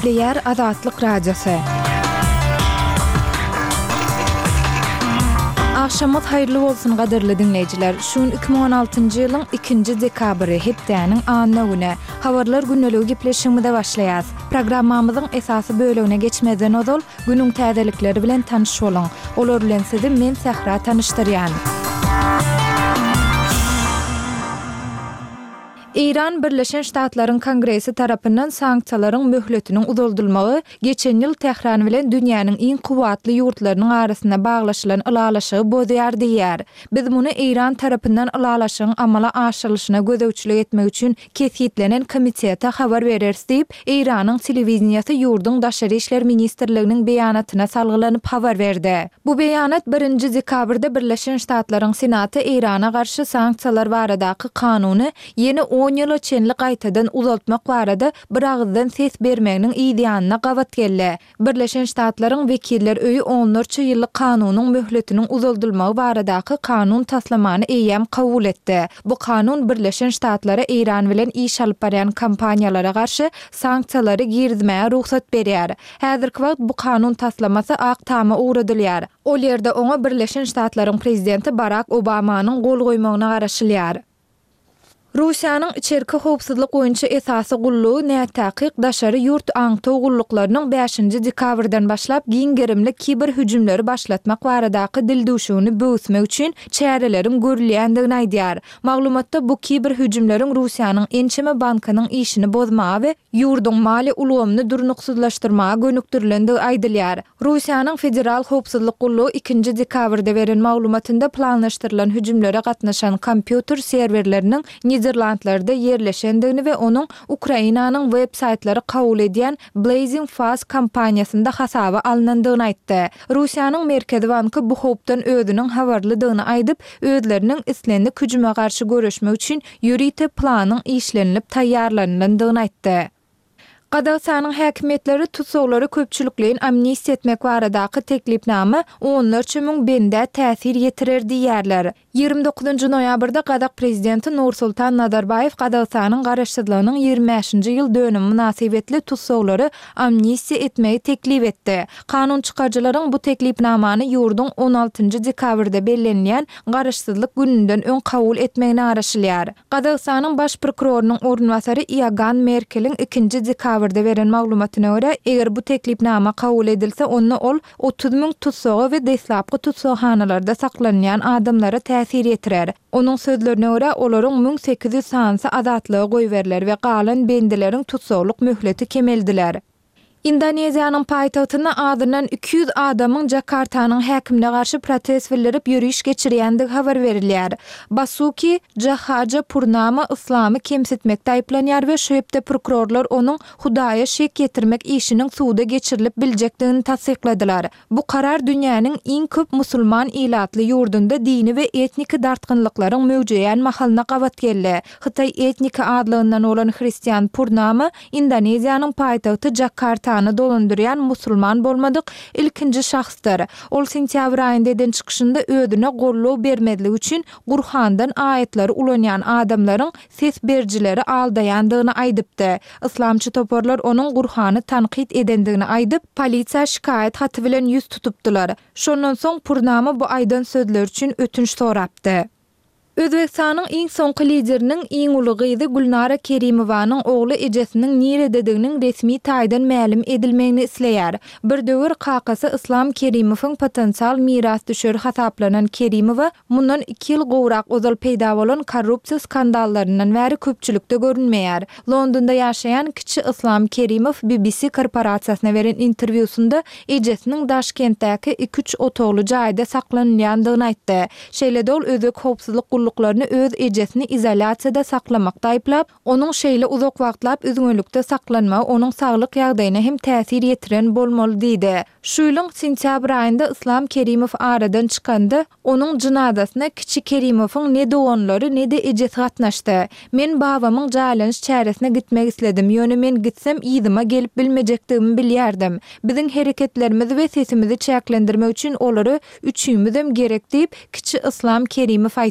Gepleýär Azatlyk Radiosy. Agşamyňyz haýyrly bolsun gadyrly diňleýjiler. Şu gün 2016-njy ýylyň ikinji dekabry, hepdäniň anna güni. Habarlar gündeligi gepleşigimize başlaýas. Programmamyzyň esasy bölegine geçmezden ozal, günüň täzelikleri bilen tanyş boluň. Olar bilen sizi men Sähra tanyşdyrýan. Eýran Birleşen Ştatlaryň Kongresi tarapyndan sanksiýalaryň möhletiniň uzaldylmagy geçen ýyl Tähran bilen dünýäniň iň kuwwatly ýurtlarynyň arasynda baglaşylan ylalaşygy bozýar diýýär. Biz muny Eýran tarapyndan ylalaşygyň amala aşyrylyşyna gözegçilik etmek üçin kesgitlenen komitete habar bereris diýip, Eýranyň telewideniýesi ýurduň Daşary işler ministrliginiň beýanatyna salgylanyp habar berdi. Bu beýanat birinji dekabrda Birleşen Ştatlaryň Senaty Eýrana garşy sanksiýalar baradaky kanuny ýene on ýyla çenli gaýtadan uzaltmak barada biragyzdan ses bermeginiň yzýanyna gabat geldi. Birleşen Ştatlaryň Wekiller öýi onlarça ýyllyk kanunyň möhletiniň uzaldylmagy baradaky kanun taslamany eýýäm kabul etdi. Bu kanun Birleşen Ştatlara Eýran bilen iş alyp barýan kompaniýalara garşy sanksiýalary girizmäge rugsat berýär. Häzirki wagt bu kanun taslamasy Ak Tama ugradylýar. Ol ýerde oňa Birleşen Ştatlaryň prezidenti Barak Obamanyň gol goýmagyna garaşylýar. Russiýanyň içerki howpsuzlyk boýunça esasy gullugy nätakyk daşary ýurt aňtaw gulluklarynyň bäşinji dekabrdan başlap giň gerimli kiber hüjümleri başlatmak baradaky dildüwşügini böwüsmek üçin çäreleriň görülýändigini aýdýar. Maglumatda bu kiber hüjümleriň Russiýanyň ençeme bankynyň işini bozmaga we ýurduň maliýe ulgamyny durnuksyzlaşdyrmaga gönükdirilendigi aýdylýar. Russiýanyň Federal howpsuzlyk gullugy ikinji dekabrda beren maglumatynda planlaşdyrylan hüjümlere gatnaşan kompýuter serwerleriniň Niderlandlarda ýerleşendigini we onuň Ukrainanyň web-saýtlary kabul edýän Blazing Fast kompaniýasynda hasaba alnandygyny aýtdy. Russiýanyň Merkezi banky bu howpdan özüniň habarlydygyny aýdyp, özleriniň islendik hüjüme garşy göreşmek üçin ýörite planyň işlenilip taýýarlanylandygyny aýtdy. Gazagystanyň häkimiýetleri tussaglary köpçülikleýin amnistiýa etmek baradaky teklipnama onlarça müň bendä täsir ýetirer diýýärler. 29 noýabrda gazak prezidenti Nursultan Nazarbaýew Gazagystanyň garaşsyzlygynyň 25-nji ýyl dönümi mynasybetli tussaglary amnistiýa etmegi teklip etdi. Kanun çykaryjylaryň bu teklipnamany ýurduň on altynjy dekabrda bellenilýän Garaşsyzlyk gününden öň kabul etmegine garaşylýar. Gazagystanyň Baş prokurorynyň orunbasary Iogann Merkeliň ikinji dekabrda beren maglumatyna görä, eger bu teklipnama kabul edilse, onda ol 30 müň tussaga we deslapky tussaghanalarda saklanylýan adamlara täsir ýetirer. Onuň sözlerine görä, olaryň 1800 sanysy azatlyga goýberiler we galan bendileriň tussaglyk möhleti kemeldiler. Indoneziýanyň paýtagtynda azyndan 200 adamyň Jakartanyň häkimine garşy protest bildirip ýöriş geçirýändigi habar berilýär. Basuki Jahaja Purnama yslamy kemsitmekde aýyplanýar we şu hepde prokurorlar onuň Hudaýa şek ýetirmek işiniň suda geçirilip biljekdigini tassykladylar. Bu karar dünýäniň iň köp musulman ilatly ýurdunda dini we etniki dartgynlyklaryň möwjeýän mahalyna gabat geldi. Hytaý etniki azlygyndan bolan hristian Purnama Indoneziýanyň paýtagty Jakartany dolandyrýan musulman bolmadyk ilkinji şahsdyr. Ol sentýabr aýynda eden çykyşynda özüne goldaw bermezlik üçin Gurhandan aýatlary ulanýan adamlaryň ses berijileri aldaýandygyny aýdypdy. Yslamçy toparlar onuň Gurhany tankyt edendigini aýdyp, polisiýa şikaýat haty bilen ýüz tutupdylar. Şondan soň Purnama bu aýdan sözleri üçin ötünç sorapdy. Özbegistanyň iň soňky lideriniň iň uly gyzy Gülnara Kerimowanyň ogly ejesiniň niredediginiň resmi taýdan mälim edilmegini isleýär. Bir döwür kakasy Yslam Kerimowyň potensial mirasdüşeri hasaplanan Kerimowa mundan iki ýyl gowrak ozal peýda bolan korrupsiýa skandallaryndan bäri köpçülikde görünmeýär. Londonda ýaşaýan kiçi Yslam Kerimow BBC korporasiýasyna beren interwýusynda ejesiniň Daşkentdäki iki-üç otagly jaýda saklanylýandygyny aýtdy. Şeýle-de ol özbek howpsuzlyk gulluklaryny öz ejesini izolýasiýada saklamakda aýyplap, Onuň şeýle uzak wagtlap üzňelikde saklanmagy onuň saglyk ýagdaýyna hem täsir ýetiren bolmaly diýdi. Şu ýylyň sentýabr aýynda Yslam Kerimow aradan çykanda, onuň jynazasyna kiçi Kerimowyň ne doganlary, ne-de ejesi gatnaşdy. Men babamyň jaýlanyş çäresine gitmek isledim, ýöne men gitsem yzyma gelip bilmejekdigimi bilýärdim. Biziň hereketlerimizi we sesimizi çäklendirmek üçin olary üçimizem gerek diýip, kiçi Yslam Kerimow aýtdy.